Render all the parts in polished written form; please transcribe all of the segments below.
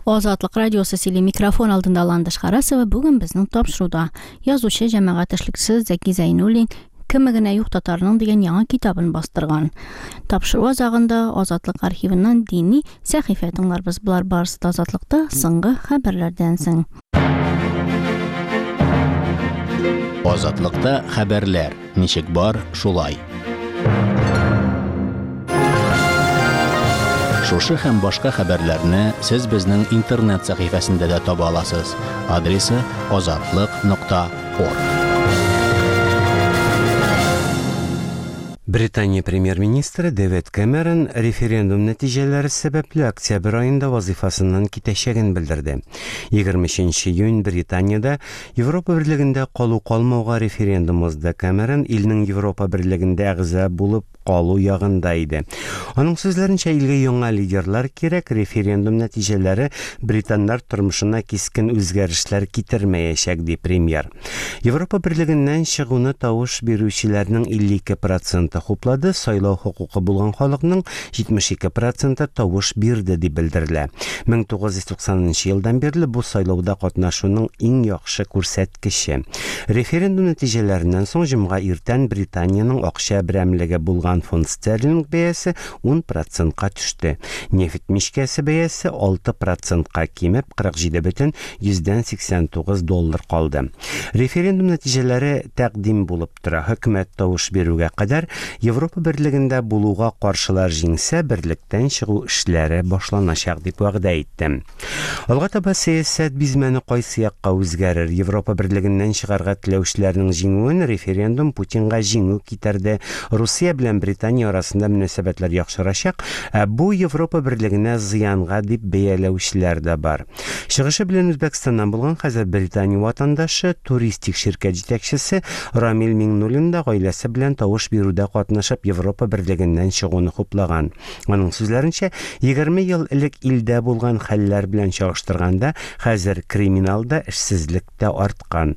Азатлык радиосы сөйли микрофон алдында Ландыш Харасова бүген безнең тапшыруда язучы, җәмәгать эшлеклесе Зәки Зәйнуллин Кеме генә юк татарның дигән яңа китабын бастырган. Тапшыру азагында Азатлык архивыннан дини сәхифә тыңларбыз. Болар барысы да Азатлыкта соңгы хәбәрләрдән соң. Азатлыкта хәбәрләр ничек бар, шулай. Шушы һәм башка хәбәрләрне сез безнең интернет сәхифәсендә дә таба аласыз. Адресы азатлык.орг. Британия премьер-министры Дэвид Кэмерон референдум нәтиҗәләре сәбәпле октябрь аенда вазыйфасыннан китәчәген белдерде. 23 июнь Британиядә Европа Берлегендә калу-калмауга референдум узды. Кэмерон илнең Европа Берлегендә әгъза булып калу ягында иде. Аның сүзләренчә, илгә яңа лидерлар кирәк, референдум нәтиҗәләре британнар тормышына кискен үзгәрешләр китермәячәк, ди премьер. Европа Берлегеннән чыгуны тавыш бирүчеләрнең 52 проценты хуплады, сайлау хокукы булган халыкның 72 проценты тавыш бирде дип белдерелә. 1990 нчы елдан бирле бу сайлауда катнашуның иң яхшы күрсәткече. Референдум нәтиҗәләреннән соң җомга иртән Британиянең акча берәмлеге булган фунт стерлинг бәясе 10 процентка төште. Нефть мичкәсе бәясе 6 процентка кимеп, 47,89 доллар калды. Референдум нәтиҗәләре тәкъдим булып тора. Хөкүмәт тавыш бирүгә кадәр Европа Берлегендә булуга каршылар җиңсә, берлектән чыгу эшләре башланачак дип вәгъдә итте. Алга таба сәясәт бизмәне кайсы якка үзгәрер? Европа Берлегеннән чыгарга теләүчеләрнең җиңүен референдум Путинга җиңү китерде. Русия белән Британия арасында мөнәсәбәтләр яхшырачак, ә бу Европа Берлегенә зыянга дип бәяләүчеләр дә бар. Чыгышы белән Үзбәкстаннан булган хәзер Британия ватандашы, туристик ширкәт җитәкчесе Рамил Миңнуллин да гаиләсе белән тавыш бирүдә катнашып Европа Берлегеннән чыгуны хуплаган. Аның сүзләренчә, 20 ел элек илдә булган хәлләр белән чагыштырганда, хәзер криминал да, эшсезлек тә арткан.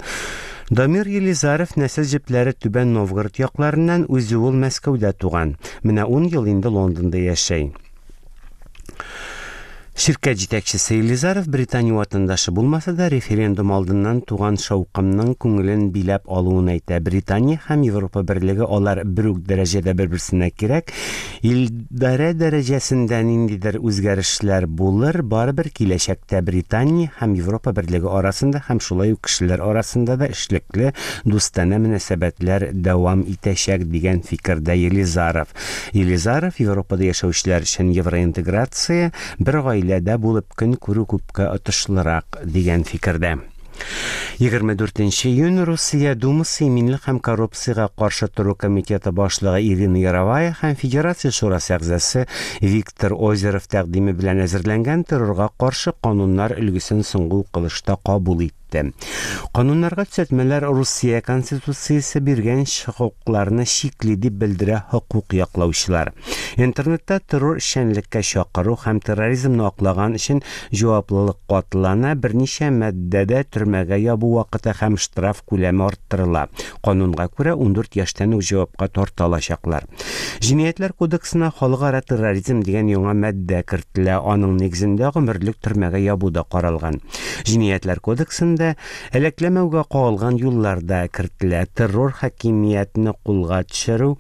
Дамир Елизаров нәсел җепләре Түбән Новгород якларыннан, үзе ул Мәскәүдә туган. Менә ун ел инде Лондонда яшәй. Ширкәт җитәкчесе Елизаров Британия ватандашы булмаса да, референдум алдыннан туган шаукымның күңелен биләп алуын әйтә. Британия һәм Европа Берлеге алар бер үк дәрәҗәдә бер-берсенә кирәк. Илдарә дәрәҗәсендә ниндидер үзгәрешләр булыр, барыбер киләчәктә Британия һәм Европа Берлеге арасында һәм шулай ук кешеләр арасында да эшлекле, дустанә мөнәсәбәтләр дәвам итәчәк, дигән фикердә Елизаров. Елизаров Европада яшәүчеләр өчен евроинтеграция, бер гаиләдә булып көн күрү күпкә отышлырак, дигән фикердә. 24 июнь Русия Думасы иминлек һәм коррупциягә каршы тору комитеты башлыгы Ирина Яровая һәм Федерация шурасы әгъзасы Виктор Озеров тәкъдиме белән әзерләнгән террорга каршы кануннар өлгесен соңгы укылышта кабул итте. итте. Кануннарга төзәтмәләр Русия Конституциясе биргән хокукларны чикли, дип белдерә хокук яклаучылар. Интернетта террор эшчәнлеккә чакыру һәм терроризмны аклаган өчен җаваплылык катлана, берничә маддәдә төрмәгә ябу вакыты һәм штраф күләме арттырыла. Канунга күрә, 14 яшьтән үк җавапка тарта алачаклар. Җинаятьләр кодексына халыкара терроризм дигән яңа маддә кертелә, аның нигезендә гомерлек төрмәгә ябу да каралган. Җинаятьләр кодексында әләкләмәүгә кагылган юллар да кертелә, террор хакимиятне кулга төшерү,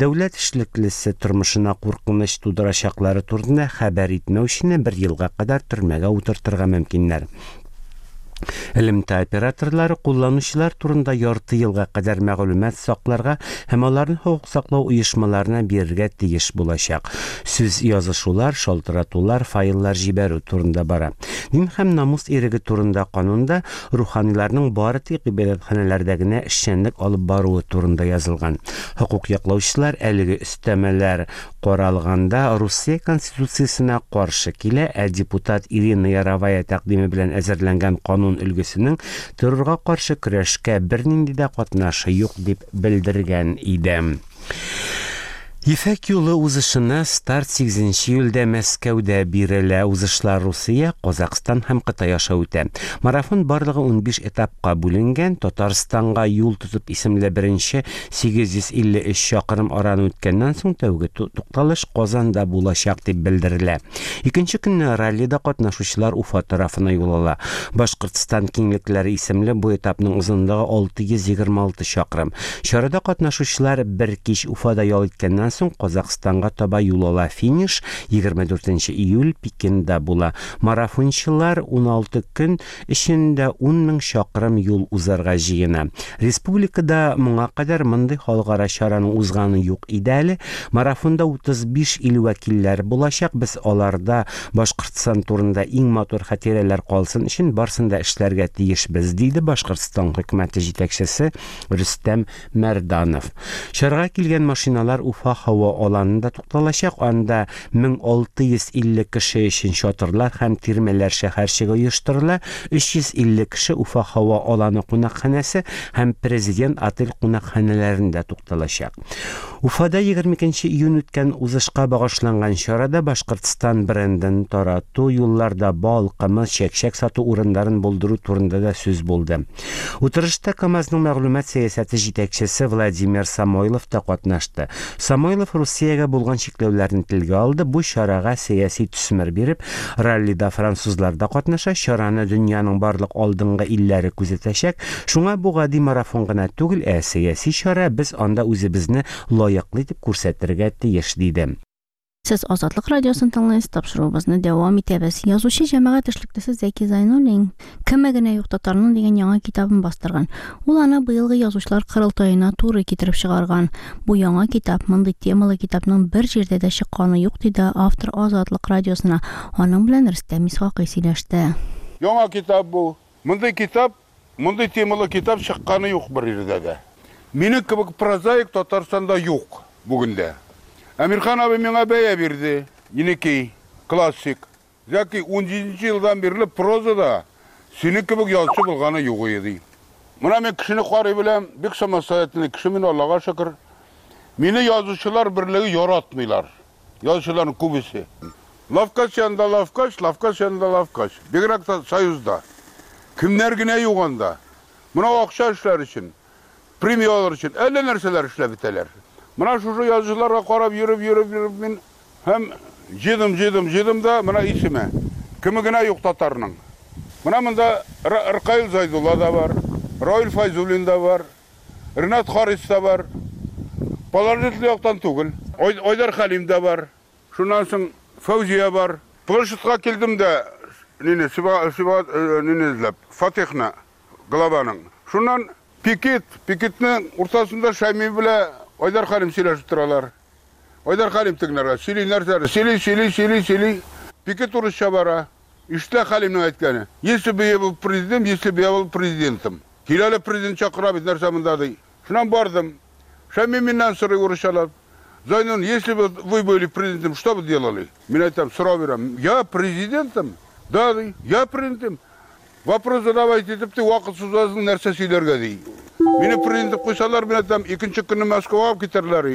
дәүләт эшлеклесе тормышына куркыныч тудырачаклары турында хәбәр итмәүчене бер елга кадәр төрмәгә утыртырга мөмкиннәр. Элемтә операторлары кулланучылар турында ярты елга кадәр мәгълүмат сакларга һәм аларны хокук саклау оешмаларына бирергә тиеш булачак. Сүз язышулар, шалтыратулар, файллар җибәрү турында бара. Дин һәм намус иреге турында канунда руханиларның бары тик гыйбадәтханәләрдә генә эшчәнлек алып баруы турында язылган. Хокук яклаучылар әлеге өстәмәләр Каралганда Русия Конституциясенә каршы килә, ә депутат Ирина Яровая тәкъдиме белән әзерләнгән канун өлгесенең террорга каршы көрәшкә бернинди дә катнашы юк дип белдергән иде. Ефәк юлы узышына старт 8 июльдә Мәскәүдә бирелә. Узышлар Русия, Казакъстан һәм Кытай аша үтә. Марафон барлыгы 15 этапка бүленгән. Татарстанга юл тотып исемле беренче 853 чакрым араны үткәннән соң тәүге тукталыш Казанда булачак дип белдерелә. Икенче көнне раллида катнашучылар Уфа тарафына юл ала. Башкортстан киңлекләре исемле бу этапның озынлыгы 626 чакрым. Чарада катнашучылар бер кич Уфада ял иткәннән соң Казакъстанга таба юл ала. Финиш 24 июль Пекинда була. Марафончылар 16 көн эчендә 10 мең чакрым юл узарга җыена. Республикада моңа кадәр мондый халыкара чараның узганы юк иде әле. Марафонда 35 ил вәкилләре булачак. Без аларда Башкортстан турында иң матур хатирәләр калсын өчен барсын да эшләргә тиешбез, диде Башкортстан хөкүмәте җитәкчесе Рөстәм Мәрданов. Чарага килгән машиналар Уфа һава аланында тукталачак. Анда 1650 кеше өчен чатырлар һәм тирмәләр шәһәрчеге оештырыла. 350 кеше Уфа һава аланы кунакханәсе һәм Президент отель кунакханәләрендә тукталачак. Уфада 22 июнь үткән узышка багышланган чарада Башкортстан брендын тарату, юлларда бал, кымыз, чәкчәк сату урыннарын булдыру турында да сүз булды. Утырышта КАМАЗның мәгълүмат сәясәте җитәкчесе Владимир Самойлов та катнашты. Самойлов Русиягә булган чикләүләрне телгә алды, бу чарага сәяси төсмер биреп, раллида французлар да катнаша, чараны дөньяның барлык алдынгы илләре күзәтәчәк, шуңа бу гади марафон гына түгел, ә сәяси чара, без анда үзебезне лаеклы итеп күрсәтергә тиеш, диде. Сез Азатлык радиосын тыңлыйсыз, тапшыруыбызны дәвам итәбез. Язучы җәмәгать эшлеклесе Зәки Зайнуллин Кеме генә юк татарның дигән яңа китабын бастырган. Ул аны быелгы язучылар корылтаена туры китереп чыгарган. Бу яңа китап, мондый темалы китапның бер җирдә дә чыкканы юк, диде автор Азатлык радиосына. Аның белән Рөстәм Исхакый сөйләште. Яңа китап бу. Мондый китап, мондый темалы китап чыкканы юк бер җирдә дә. Минем кебек прозаик Татарстанда юк бүген дә. Әмирхан абый миңа бәя бирде. Енекей, классик. Зәки, 17 елдан бирле прозада синең кебек язучы булганы юк иде, ди. Менә мин кешене карый беләм, бик самостоятельный кеше мин, Аллага шөкер. Мине язучылар берлеге яратмыйлар. Язучыларның күбесе. Лавкач янында лавкач, лавкач янында лавкач. Бигрәк тә Союзда. Кемнәр генә юк анда. Менә акча эшләр өчен, премия алыр өчен әллә нәрсәләр эшләп бетәләр. Менә шушы язучыларга карап йөреп, йөреп, йөреп мин һәм җыйдым, җыйдым, җыйдым да менә исеме. Кеме генә юк татарның. Менә монда Ркаил Зайдулла да бар, Раил Файзуллин да бар, Ренат Харис та бар. Положительный яктан түгел. Айдар Хәлим дә бар. Шуннан соң Фәүзия бар. Площадька килдем дә, нине, Сиба, Сиба, нине эзләп, Фатихны, главаның. Шуннан пикет, пикетнең уртасында Шәйми белән Айдар Хәлим сөйләшеп торалар. Айдар Хәлим тегеләргә сөйли нәрсәләр, сөйли, сөйли, сөйли, сөйли. Пикет урысча бара. Ишетелә Хәлимнең әйткәне. Если бы я был президент, если бы я был президентом. Кил әле, президент чакыра бит, нәрсә монда, ди. Шуннан бардым. Шәйми миннән сорый урысчалап. Зайнун, если бы вы были президентом, что бы делали? Мин әйтәм, сорау бирәм. Я президентом? Да, ди. Я президентом. Вопрос задавайте итеп, ди, вакыт сузасың, нәрсә сөйләргә, ди. Мине президент итеп куйсалар, мин әйтәм, икенче көнне Мәскәүгә алып китәрләр,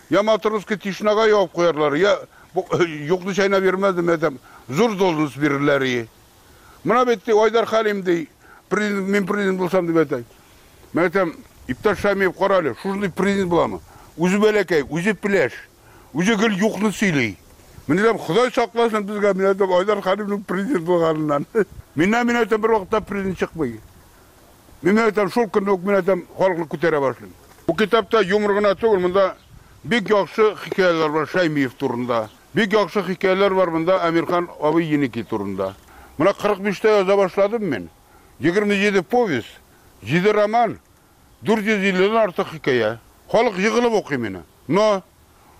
я Матросский тишинага ябып куярлар, я юкны чәйнәп йөрмәс, мин әйтәм, зур должность бирерләр. Менә бит, ди, Айдар Хәлим, ди, президент, мин президент булсам, дип әйтә. Мин әйтәм, иптәш Шәймиев, кара әле, шушындый президент буламы? Үзе бәләкәй, үзе пеләш, үзе гел юкны сөйли. Мин әйтәм, Ходай сакласын безгә, мин әйтәм, Айдар Хәлимнең президент булганыннан. Миннән, мин әйтәм, бер вакытта президент чыкмый. Мин әйтәм, шул көнне үк, мин әйтәм, халыкны күтәрә башлыйм. Бу китапта юмор гына түгел, монда бик яхшы хикәяләр бар Шәймиев турында. Бик яхшы хикәяләр бар монда Әмирхан абый Еники турында. Менә 45-тә яза башладым мин. 27 повесть, 7 роман, 450-дән артык хикәя. Халык егылып укый мине. Но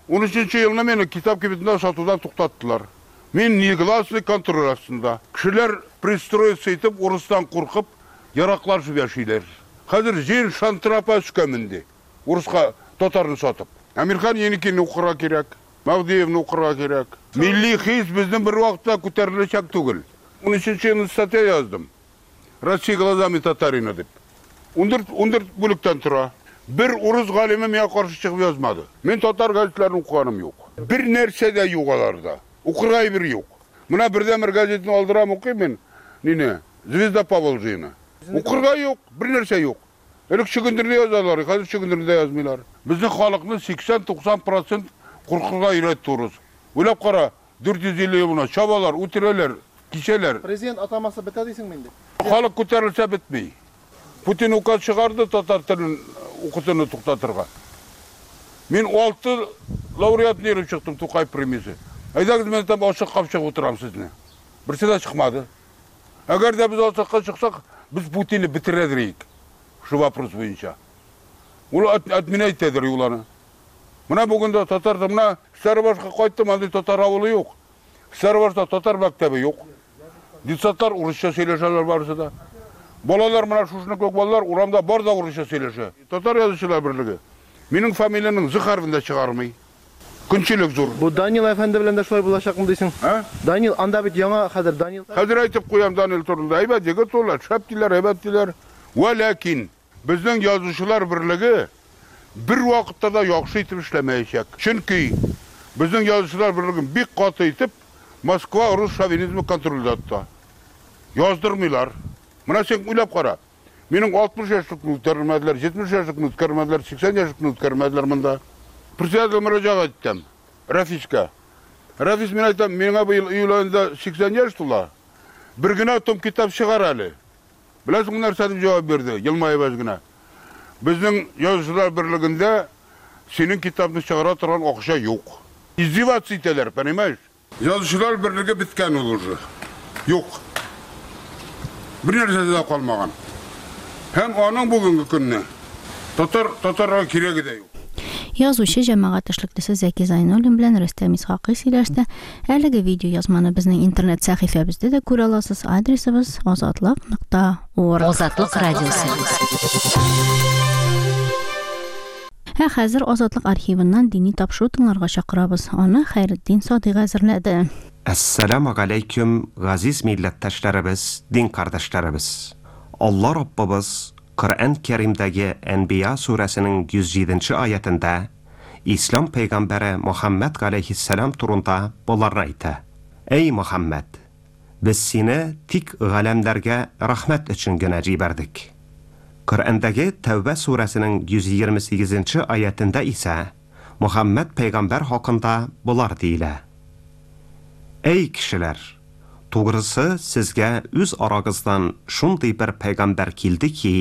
13 елны мине китап кибетендә сатудан туктаттылар. Мин негласный контроль астында. Кешеләр пристроиться итеп, урыстан куркып, яраклашып яшиләр. Хәзер җыен шантрапа өскә менде. Урыска татарны сатып. Әмирхан Еникине укырга кирәк. Мәһдиевне укырга кирәк. Милли хис безнең бер вакытта күтәреләчәк түгел. 13 елны статья яздым. Россия глазами татарина дип. 14, 14 бүлектән тора. Бер урыс галиме миңа каршы чыгып язмады. Мин татар газетларын укыганым юк. Бер нәрсә дә юк аларда. Укырга әйбер юк. Менә бердәнбер газетны алдырам, укыйм мин. Нине? Звезда Поволжьены. Укырга юк, бер нәрсә юк. Элек чөгендерне язалар, хәзер чөгендерне дә язмыйлар. Безнең халыкны 80-90 процент куркырга өйрәтте урыс. Уйлап кара, 450 ел менә чабалар, үтерәләр, кисәләр. Президент атамасы бетә дисеңме инде? Халык күтәрелсә бетми. Путин указ чыгарды татар телен укытуны туктатырга. Мин 6 лауреатны йөреп чыктым Тукай премиясе. Әйдәгез, мин там ачык капчык утырам сезне. Берсе дә чыкмады. Әгәр дә без ачыкка чыксак, без Путинны бетерәдер идек. Шу вопрос буенча. Ул отменять итәдер ул аны. Менә бүген дә татар, менә Стәрбашка кайттым, андый татар авылы юк. Стәрбашта татар мәктәбе юк. Детсадлар урысча сөйләшәләр барысы да. Балалар менә шушыны күк балалар урамда бар да урысча сөйләшә. Татар язучылар берлеге минем фамилиянең З хәрефен дә чыгармый. Көнчелек зур. Бу Данил әфәнде белән дә шулай булачакмы дисең? Ә? Данил, анда бит яңа хәзер Данил. Хәзер әйтеп куям Данил турында. Әйбәт егет ул, шәп диләр, әйбәт диләр. Вә ләкин безнең язучылар берлеге бер вакытта да яхшы итеп эшләмәячәк. Чөнки безнең язучылар берлеген бик каты итеп Москва рус шовинизмы контрольдә тота. Яздырмыйлар. Менә син уйлап кара. Минем 60 яшьлекне үткәрмәделәр, 70 яшьлекне үткәрмәделәр, 80 яшьлекне үткәрмәделәр монда. Председатель мөрәҗәгать иттем. Рафискә. Рафис мин әйтәм, миңа быел июль аенда 80 яшь тула. Бер генә том китап чыгар әле. Беләсеңме нәрсә дип җавап бирде? Елмаеп әз генә. Безнең язучылар берлегендә синең китапны чыгара торган акча юк. Издеваться итәләр, понимаешь? Язучылар берлеге беткән ул уже. Юк. Бер нәрсә дә калмаган. Һәм аның бүгенге көнне татар татарга кирәге дә юк. Язучы, җәмәгать эшлеклесе Зәки Зайнуллин белән Рөстәм Исхакый сөйләште. Әлеге видео язманы безнең интернет сәхифәбездә дә күрә аласыз. Адресыбыз азатлык.орг. Азатлык радиосы. Ә хәзер Азатлык архивыннан дини тапшыру тыңларга чакырабыз. Аны Хәйретдин Садыйк әзерләде. Әссәламу галәйкүм, газиз милләттәшләребез, дин кардәшләребез. Алла Раббыбыз Коръән Кәримдәге Әнбия сүрәсенең 107 аятендә Ислам пәйгамбәре Мөхәммәд галәйһиссәлам турында боларны әйтә. Әй Мөхәммәд, без сине тик галәмнәргә рәхмәт өчен генә җибәрдек. Коръәндәге Тәүбә сүрәсенең 128 аятендә исә Мөхәммәд пәйгамбәр хакында болар диелә. Әй кешеләр, тугрысы сезгә үз арагыздан шундый бер пәйгамбәр килде ки,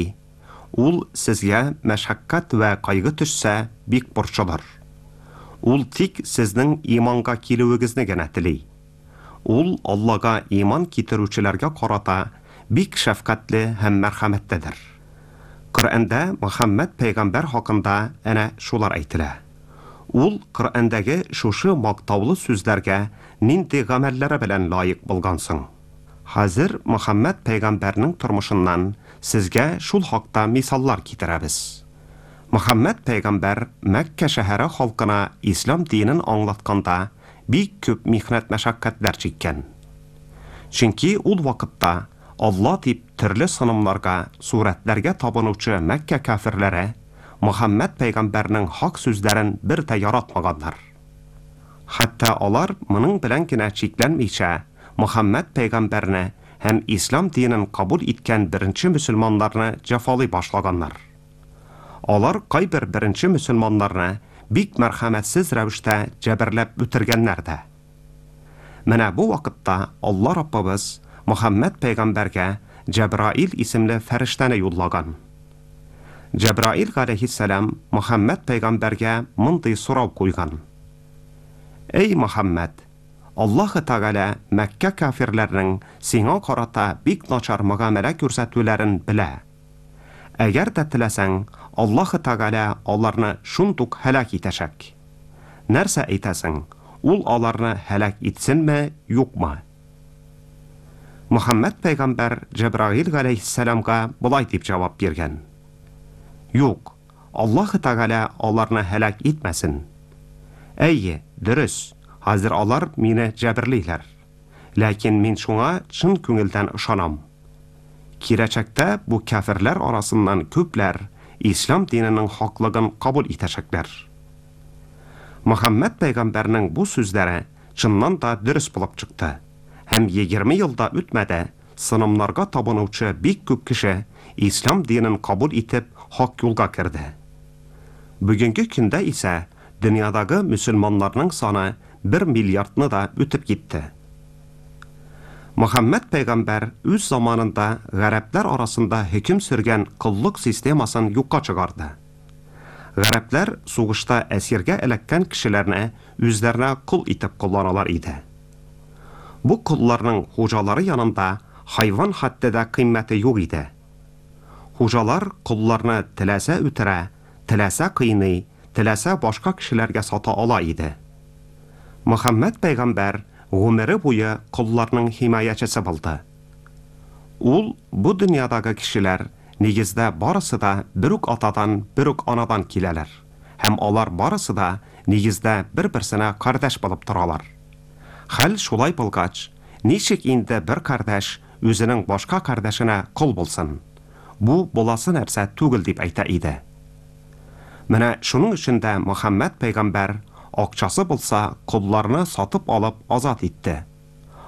ул сезгә мәшәкать вә кайгы төшсә бик борчылыр. Ул тик сезнең иманга килүегезне генә тели. Ул Аллага иман китерүчеләргә карата бик шәфкатьле һәм мәрхәмәтледер. Коръәндә Мөхәммәд пәйгамбәр хакында әнә шулар әйтелә. Ул Коръәндәге шушы мактаулы сүзләргә нинди гамәлләре белән лаек булган соң? Хәзер Мөхәммәд пәйгамбәрнең тормышыннан сезгә шул хакта мисаллар китерәбез. Мөхәммәд пәйгамбәр Мәккә шәһәре халкына ислам динен аңлатканда бик күп михнәт мәшәкатьләр чиккән. Чөнки ул вакытта Алла дип төрле сынымнарга, сурәтләргә табынучы Мәккә кафирләре Мөхәммәд пәйгамбәрнең хак сүзләрен бер дә яратмаганнар. Хәтта алар моның белән генә чикләнмичә, Мөхәммәд пәйгамбәрне һәм ислам динен кабул иткән беренче мөселманнарны җәфалый башлаганнар. Алар кайбер беренче мөселманнарны бик мәрхәмәтсез рәвештә җәберләп үтергәннәр дә. Менә бу вакытта Алла Раббыбыз Мөхәммәд пәйгамбәргә Җәбраил исемле фәрештәне юллаган. Җәбраил галәйһиссәлам Мөхәммәд пәйгамбәргә мондый сорау куйган. Эй Мөхәммәд, Аллаһы Тәгалә Мәккә кафирләренең сиңа карата бик начар мөгамәлә күрсәтүләрен белә. Әгәр дә теләсәң, Аллаһы Тәгалә аларны шундук һәлак итәчәк. Нәрсә әйтәсең, ул аларны һәлак итсенме, юкмы? Мөхәммәд пәйгамбәр Җәбраил галәйһиссәламга болай дип җавап биргән. Юк, Аллаһы Тәгалә аларны һәлак итмәсен. Әйе, дөрес, хәзер алар мине җәберлиләр. Ләкин мин шуңа чын күңелдән ышанам. Киләчәктә бу кафирләр арасыннан күпләр ислам диненең хаклыгын кабул итәчәкләр. Мөхәммәд пәйгамбәрнең бу сүзләре чыннан да дөрес булып чыкты. Һәм 20 ел да үтмәде, сынымнарга табынучы бик күп кеше ислам динен кабул итеп хак юлга керде. Бүгенге көндә исә дөньядагы мөселманнарның саны 1 миллиардны да үтеп китте. Мөхәммәд пәйгамбәр үз заманында гарәпләр арасында хөкем сөргән коллык системасын юкка чыгарды. Гарәпләр сугышта әсиргә эләккән кешеләрне үзләренә кол итеп кулланалар иде. Бу колларның хуҗалары янында хайван хәтта да кыйммәте юк иде. Хуҗалар колларны теләсә үтерә, теләсә кыйный, теләсә башка кешеләргә сата ала иде. Мөхәммәд пәйгамбәр гомере буе колларның химаячысы булды. Ул бу дөньядагы кешеләр нигездә барысы да бер үк атадан, бер үк анадан киләләр. Һәм алар барысы да нигездә бер-берсенә кардәш булып торалар. Хәл шулай булгач, ничек инде бер кардәш үзенең башка кардәшенә кол булсын? Бу буласы нәрсә түгел дип әйтә иде. Менә шуның өчен дә Мөхәммәд пәйгамбәр акчасы булса, колларны сатып алып азат итте.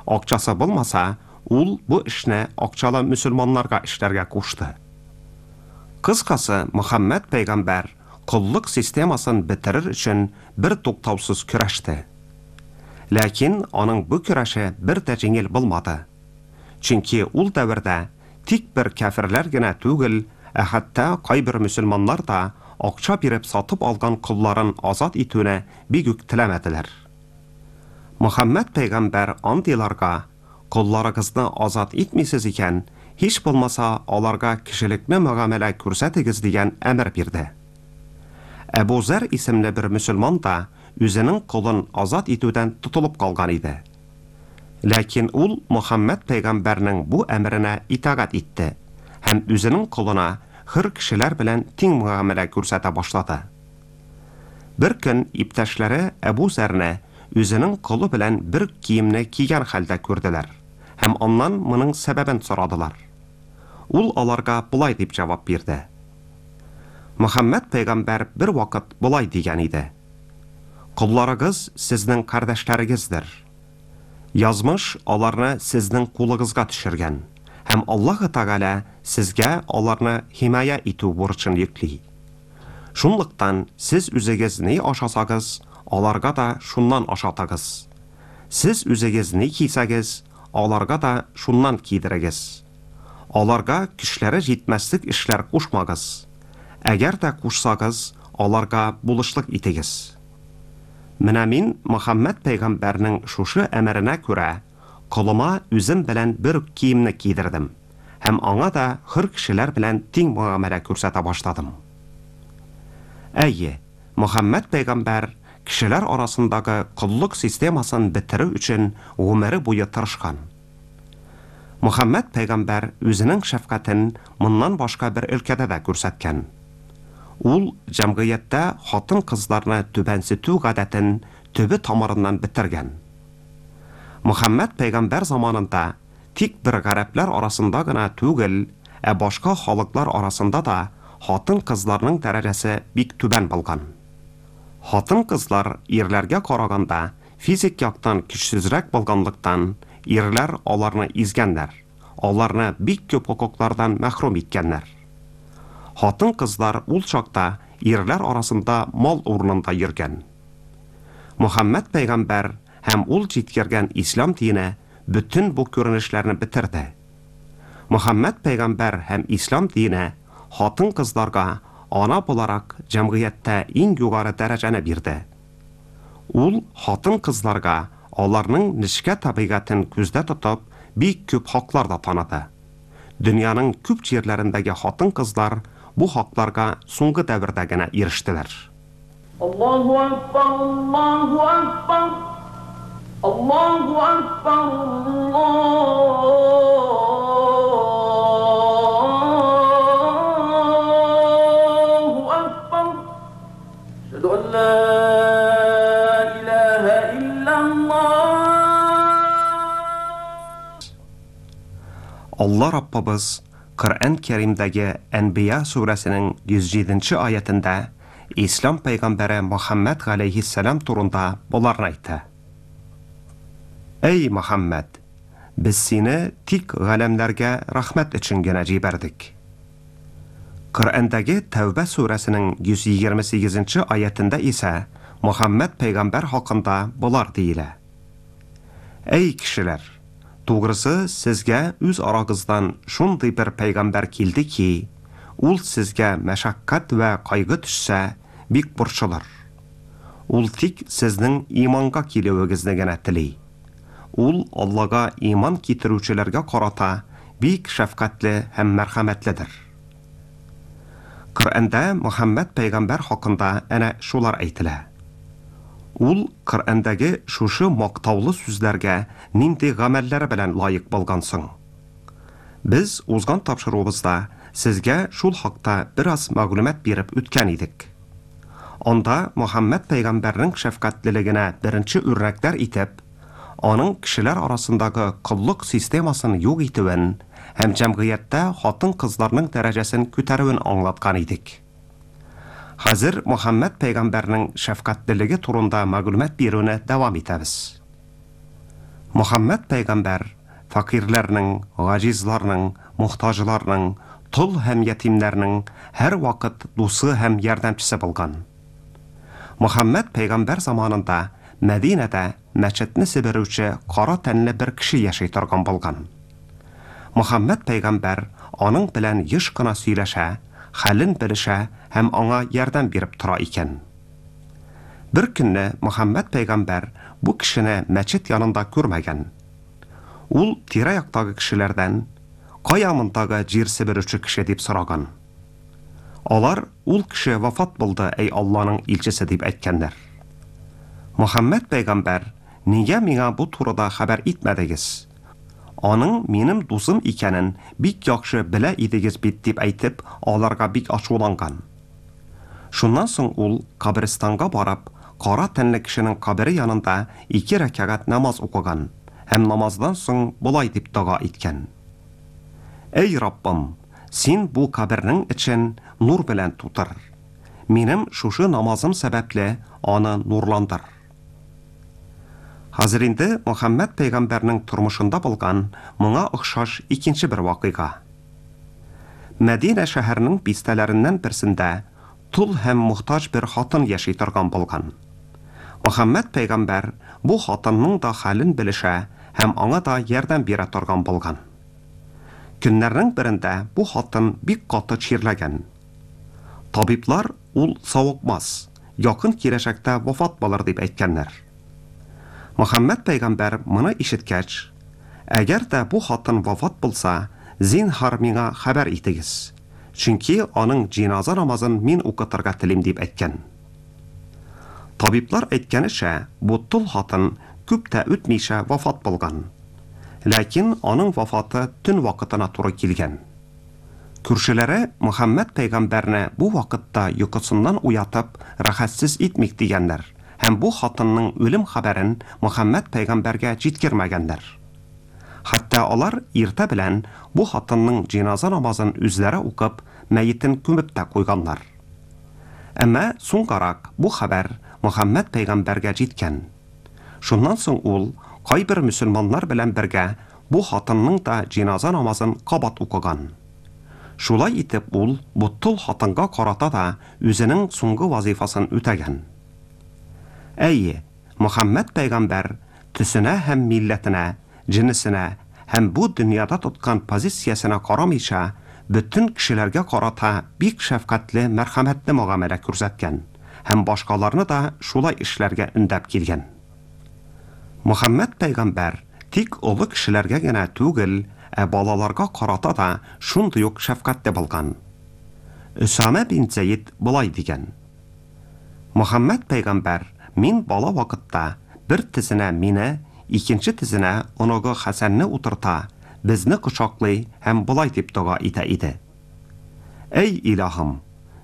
Акчасы булмаса, ул бу эшне акчалы мөселманнарга эшләргә кушты. Кыскасы, Мөхәммәд пәйгамбәр коллык системасын бетерер өчен бер туктаусыз көрәште. Ләкин аның бу көрәше бер дә җиңел булмады. Чөнки ул дәвердә тик бер кәферләр генә түгел, ә хәтта кайбер мөселманнар да акча биреп сатып алган колларын азат итүне бик үк теләмәделәр. Мөхәммәд пәйгамбәр андыйларга колларыгызны азат итмисез икән, һич булмаса аларга кешелекне мөгамәлә күрсәтегез дигән әмер бирде. Әбу Зәр исемле бер мөселман да үзенең колын азат итүдән тотылып калган иде. Ләкин ул Мөхәммәд пәйгамбәрнең бу әмеренә итагать итте һәм үзенең колына хөр кешеләр белән тиң мөгамәлә күрсәтә башлады. Бер көн иптәшләре Әбу Зәрне үзенең колы белән бер киемне кигән хәлдә күрделәр һәм аннан моның сәбәбен сорадылар. Ул аларга болай дип җавап бирде. Мөхәммәд пәйгамбәр бер вакыт болай дигән иде. Колларыгыз сезнең кардәшләрегездер. Язмыш аларны сезнең кулыгызга төшергән һәм Аллаһ Тәгалә сезгә аларны химая итү бурычын йөкли. Шунлыктан сез үзегез ни ашасагыз, аларга да шуннан ашатыгыз. Сез үзегез ни кисәгез, аларга да шуннан кидерегез. Аларга көчләре җитмәслек эшләр кушмагыз. Әгәр дә кушсагыз, аларга булышлык итегез. Менә мин Мөхәммәд пәйгамбәрнең шушы әмеренә күрә колыма үзем белән бер үк киемне кидердем һәм аңа да хөр кешеләр белән тиң мөгамәлә күрсәтә башладым. Әйе, Мөхәммәд пәйгамбәр кешеләр арасындагы коллык системасын бетерү өчен гомере буе тырышкан. Мөхәммәд пәйгамбәр үзенең шәфкатен моннан башка бер өлкәдә дә күрсәткән. Ул җәмгыятьтә хатын-кызларны түбәнсетү гадәтен төбе тамырыннан бетергән. Мөхәммәд пәйгамбәр заманында тик бер гарәпләр арасында гына түгел, ә башка халыклар арасында да хатын-кызларның дәрәҗәсе бик түбән булган. Хатын-кызлар ирләргә караганда физик яктан көчсезрәк булганлыктан, ирләр аларны изгәннәр, аларны бик күп хокуклардан мәхрүм иткәннәр. Хатын-кызлар ул чакта ирләр арасында мал урынында йөргән. Мөхәммәд пәйгамбәр һәм ул җиткергән ислам дине бөтен бу күренешләрне бетерде. Мөхәммәд пәйгамбәр һәм ислам дине хатын-кызларга ана буларак җәмгыятьтә иң югары дәрәҗәне бирде. Ул хатын-кызларга аларның нечкә табигатен күздә тотып, бик күп хаклар да таныды. Дөньяның күп җирләрендәге хатын-кызлар бу хакларга соңгы дәвердә генә ирештеләр. Аллаһу акбар, Аллаһу акбар, Аллаһу акбар, Аллаһу акбар. Әшһәду ан ла илаһа иллаллаһ. Алла Раббыбыз Коръән Кәримдәге Әнбия сүрәсенең 107 нче аятендә Ислам пәйгамбәре Мөхәммәд галәйһиссәлам турында боларны әйтә. Әй, Мөхәммәд! Без сине тик галәмнәргә рәхмәт өчен генә җибәрдек. Коръәндәге Тәүбә сүрәсенең 128 нче аятендә исә Мөхәммәд пәйгамбәр хакында болар диелә. Әй, кешеләр! Тугрысы, сезгә үз арагыздан шундый бер пәйгамбәр килде ки, ул сезгә мәшәкать вә кайгы төшсә, бик борчылыр. Ул тик сезнең иманга килүегезне генә тели. Ул Аллага иман китерүчеләргә карата бик шәфкатьле һәм мәрхәмәтледер. Коръәндә Мөхәммәд пәйгамбәр хакында әнә шулар әйтелә. Ул Коръәндәге шушы мактаулы сүзләргә нинди гамәлләре белән лаек булган соң? Без узган тапшыруыбызда сезгә шул хакта бераз мәгълүмат биреп үткән идек. Анда Мөхәммәд пәйгамбәрнең шәфкатьлелегенә беренче үрнәкләр итеп, аның кешеләр арасындагы коллык системасын юк итүен һәм җәмгыятьтә хатын-кызларның дәрәҗәсен күтәрүен аңлаткан идек. Хәзер Мөхәммәд пәйгамбәрнең шәфкатьлелеге турында мәгълүмат бирүне дәвам итәбез. Мөхәммәд пәйгамбәр фәкыйрьләрнең, гаҗизларның, мохтаҗларның, тол һәм ятимнәрнең һәрвакыт дусы һәм ярдәмчесе булган. Мөхәммәд пәйгамбәр заманында Мәдинәдә мәчетне себерүче кара тәнле бер кеше яши торган булган. Мөхәммәд пәйгамбәр аның белән еш кына сөйләшә, хәлен белешә һәм аңа ярдәм биреп тора икән. Бер көнне Мөхәммәд пәйгамбәр бу кешене мәчет янында күрмәгән. Ул тирә-яктагы кешеләрдән, Кая мондагы җир себерүче кеше дип сораган. Алар, Ул кеше вафат булды, әй Алланың илчесе дип әйткәннәр. Мөхәммәд пәйгамбәр, Нигә миңа бу турыда хәбәр итмәдегез? Аның минем дусым икәнен бик яхшы белә идегез бит дип әйтеп, аларга бик ачуланган. Шуннан соң ул, каберстанга барып, кара тәнле кешенең кабере янында ике рәкәгать намаз укыган һәм намаздан соң болай дип дога иткән, Әй Раббым, Син бу кабернең эчен нур белән тутыр. Минем шушы намазым сәбәпле аны нурландыр. Хәзер инде Мөхәммәд пәйгамбәрнең тормышында булган моңа охшаш икенче бер вакыйга. Мәдинә шәһәренең бистәләреннән берсендә тол һәм мохтаҗ бер хатын яши торган булган. Мөхәммәд пәйгамбәр бу хатынның да хәлен белешә һәм аңа да ярдәм бирә торган булган. Көннәрнең берендә бу хатын бик каты чирләгән. Табиблар ул савыкмас, якын киләчәктә вафат булыр дип әйткәннәр. Мөхәммәд пәйгамбәр моны ишеткәч, Әгәр дә бу хатын вафат булса, зинһар миңа хәбәр итегез, чөнки аның җиназа намазын мин укытырга телим, дип әйткән. Табиблар әйткәнечә, бу тол хатын күп тә үтмичә вафат булган. Ләкин аның вафаты төн вакытына туры килгән. Күршеләре Мөхәммәд пәйгамбәрне бу вакытта йокысыннан уятып, рәхәтсез итмик дигәннәр һәм бу хатынның үлем хәбәрен Мөхәммәд пәйгамбәргә җиткермәгәннәр. Хәтта алар иртә белән бу хатынның җеназа намазын үзләре укып, мәетен күмеп тә куйганнар. Әмма соңгарак бу хәбәр Мөхәммәд пәйгамбәргә җиткән. Шуннан соң ул, кайбер мөселманнар белән бергә, бу хатынның да җеназа намазын кабат укыган. Шулай итеп ул бу тол хатынга карата да үзенең соңгы вазыйфасын үтәгән. Әйе, Мөхәммәд пәйгамбәр төсенә һәм милләтенә, җенесенә һәм бу дөньяда тоткан позициясенә карамыйча, бөтен кешеләргә карата бик шәфкатьле, мәрхәмәтле мөгамәлә күрсәткән һәм башкаларны да шулай эшләргә өндәп килгән. Мөхәммәд пәйгамбәр тик олы кешеләргә генә түгел, ә балаларга карата да шундый ук шәфкатьле булган. Өсамә бин Зәед болай дигән, Мөхәммәд пәйгамбәр мин бала вакытта бер тезенә мине, икенче тезенә оныгы Хәсәнне утырта, безне кочаклый һәм болай дип дога итә иде, Әй Илаһым,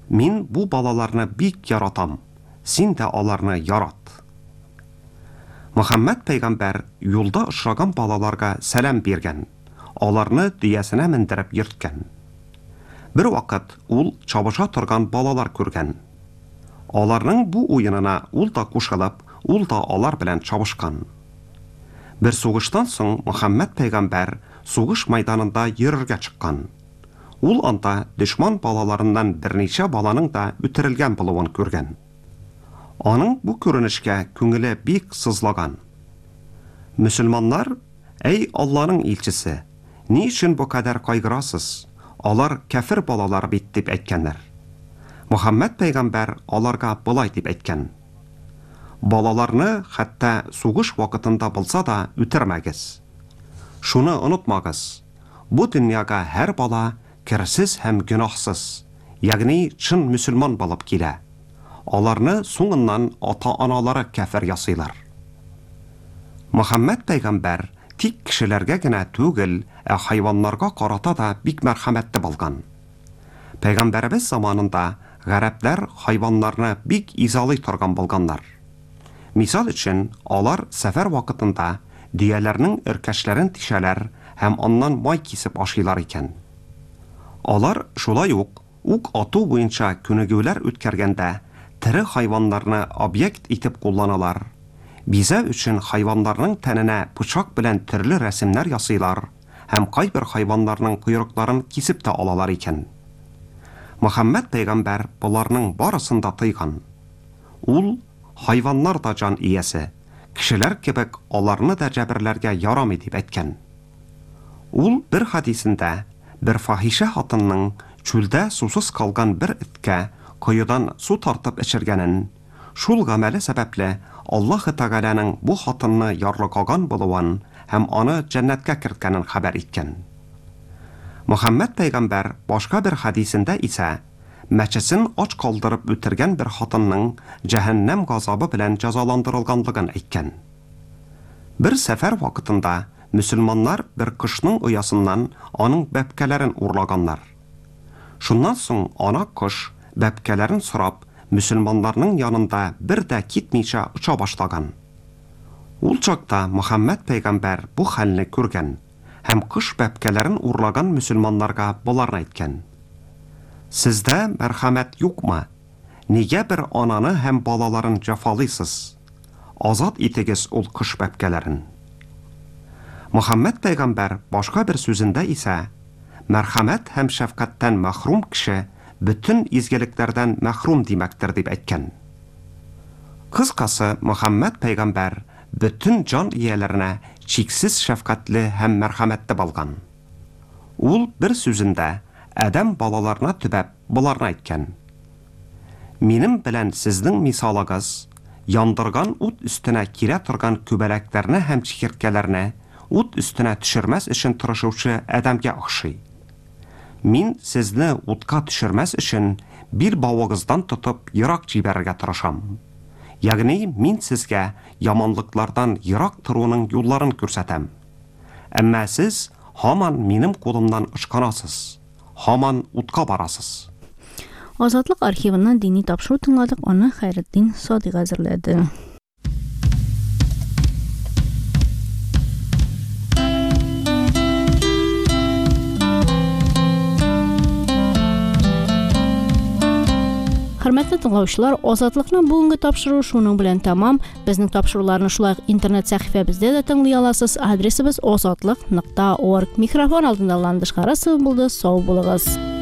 мин бу балаларны бик яратам, син дә аларны ярат. Мөхәммәд пәйгамбәр юлда очраган балаларга сәлам биргән, аларны дөясенә мендереп йөрткән. Бер вакыт ул чабыша торган балалар күргән. Аларның бу уенына ул да кушылып, ул да алар белән чабышкан. Бер сугыштан соң Мөхәммәд пәйгамбәр сугыш мәйданында йөрергә чыккан. Ул анда дошман балаларыннан берничә баланың да үтерелгән булуын күргән. Аның бу күренешкә күңеле бик сызлаган. Мөселманнар, "Әй Алланың илчесе, ни өчен бу кадәр кайгырасыз? Алар кәфер балалар бит", дип әйткәннәр. Мөхәммәд пәйгамбәр аларга болай дип әйткән: Балаларны хәтта сугыш вакытында булса да үтермәгез. Шуны онытмагыз: бу дөньяга һәр бала керсез һәм гөнаһсыз, ягъни чын мөселман булып килә. Аларны соңыннан ата-аналары кәфер ясыйлар. Мөхәммәд пәйгамбәр тик кешеләргә генә түгел, ә хайваннарга карата да бик мәрхәмәтле булган. Пәйгамбәребез заманында гарәпләр хайваннарны бик изалый торган булганнар. Мисал өчен, алар сәфәр вакытында дөяләрнең өркәчләрен тишәләр һәм аннан май кисеп ашыйлар икән. Алар шулай ук ук ату буенча күнегүләр үткәргәндә тере хайваннарны объект итеп кулланалар. Бизәү өчен хайваннарның тәненә пычак белән төрле рәсемнәр ясыйлар һәм кайбер хайваннарның койрыкларын кисеп тә алалар икән. Мөхәммәд пәйгамбәр боларның барысын да тыйган. Ул хайваннар да җан иясе, кешеләр кебек аларны да җәберләргә ярамый дип әйткән. Ул бер хадисендә бер фахишә хатынның чүлдә сусыз калган бер эткә коедан су тартып эчергәнен, шул гамәле сәбәпле Аллаһы Тәгаләнең бу хатынны ярлыкаган булуын һәм аны җәннәткә керткәнен хәбәр иткән. Мөхәммәд пәйгамбәр башка бер хадисендә исә мәчесен ач калдырып үтергән бер хатынның җәһәннәм газабы белән җәзаландырылганлыгын әйткән. Бер сәфәр вакытында мөселманнар бер кошның оясыннан аның бәбкәләрен урлаганнар. Шуннан соң ана кош бәбкәләрен сорап, мөселманнарның янында бер дә китмичә оча башлаган. Ул чакта Мөхәммәд пәйгамбәр бу хәлне күргән һәм кош бәбкәләрен урлаган мөселманнарга боларны әйткән: Сездә мәрхәмәт юкмы? Нигә бер ананы һәм балаларын җәфалыйсыз? Азат итегез ул кош бәбкәләрен. Мөхәммәд пәйгамбәр башка бер сүзендә исә мәрхәмәт һәм шәфкатьтән мәхрүм кеше бөтен изгелекләрдән мәхрүм димәктер дип әйткән. Кыскасы, Мөхәммәд пәйгамбәр бөтен җан ияләренә чиксез шәфкатьле һәм мәрхәмәтле булган. Ул бер сүзендә адәм балаларына төбәп боларны әйткән: Минем белән сезнең мисалыгыз яндырган ут өстенә килә торган күбәләкләрне һәм чикерткәләрне ут өстенә төшермәс өчен тырышучы адәмгә охшый. Мин сезне утка төшермәс өчен бил бавыгыздан тотып ерак җибәрергә тырышам. Ягъни мин сезгә яманлыклардан ерак торуның юлларын күрсәтәм. Әмма сез һаман минем кулымнан ычкынасыз, һаман утка барасыз. Азатлык архивыннан дини тапшыру тыңладык, аны Хәйретдин Садыйк әзерләде. Хөрмәтле тыңлаучылар, Азатлыкның бүгенге тапшыруы шуның белән тәмам. Безнең тапшыруларны шулай ук интернет сәхифәбездә дә тыңлый аласыз. Адресыбыз озатлык.орг. Микрофон алдында Ландыш Харасова булды. Сау булыгыз.